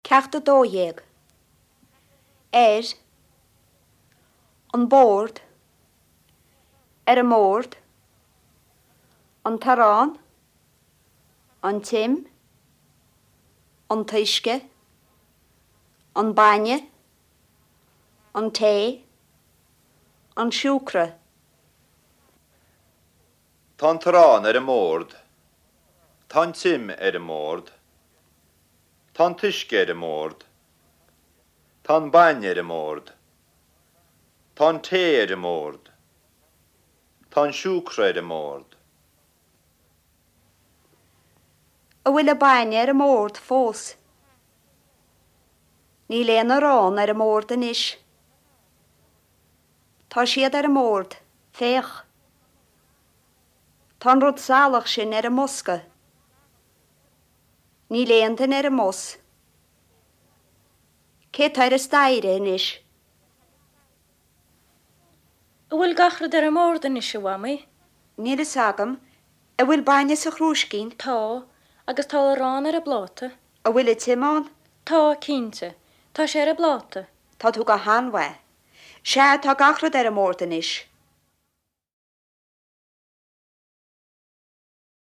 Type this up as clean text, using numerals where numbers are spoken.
Ceacht 12. Ar an bord. Ar an mbord. An t-arán. An t-im. An t-uisce. An bainne. An tae. An siúcra. Tá an t-arán ar an mbord. Tá an t-im ar an mbord. Tá an t-uisce ar an mbord. Tá an bainne ar an mbord. Tá an tae ar an mbord. Tá an siúcra ar an mbord. An bhfuil an bainne ar an mbord fós? Níl aon arán ar an mbord anois. Tá siad ar an mbord, féach. Tá an rud salach sin ar an mbosca. Níl aon duine ar an mbus. Cé tá ar an staighre anois? An bhfuil gach rud ar an mbord anois, a Mhamaí? Níl fhios agam. An bhfuil bainne sa chrúiscín? Tá, agus tá arán ar an bpláta. An bhfuil an t-im ann? Tá, cinnte. Tá sé ar an bpláta. Tá tú go han-mhaith. Sea, tá gach rud ar an mbord anois.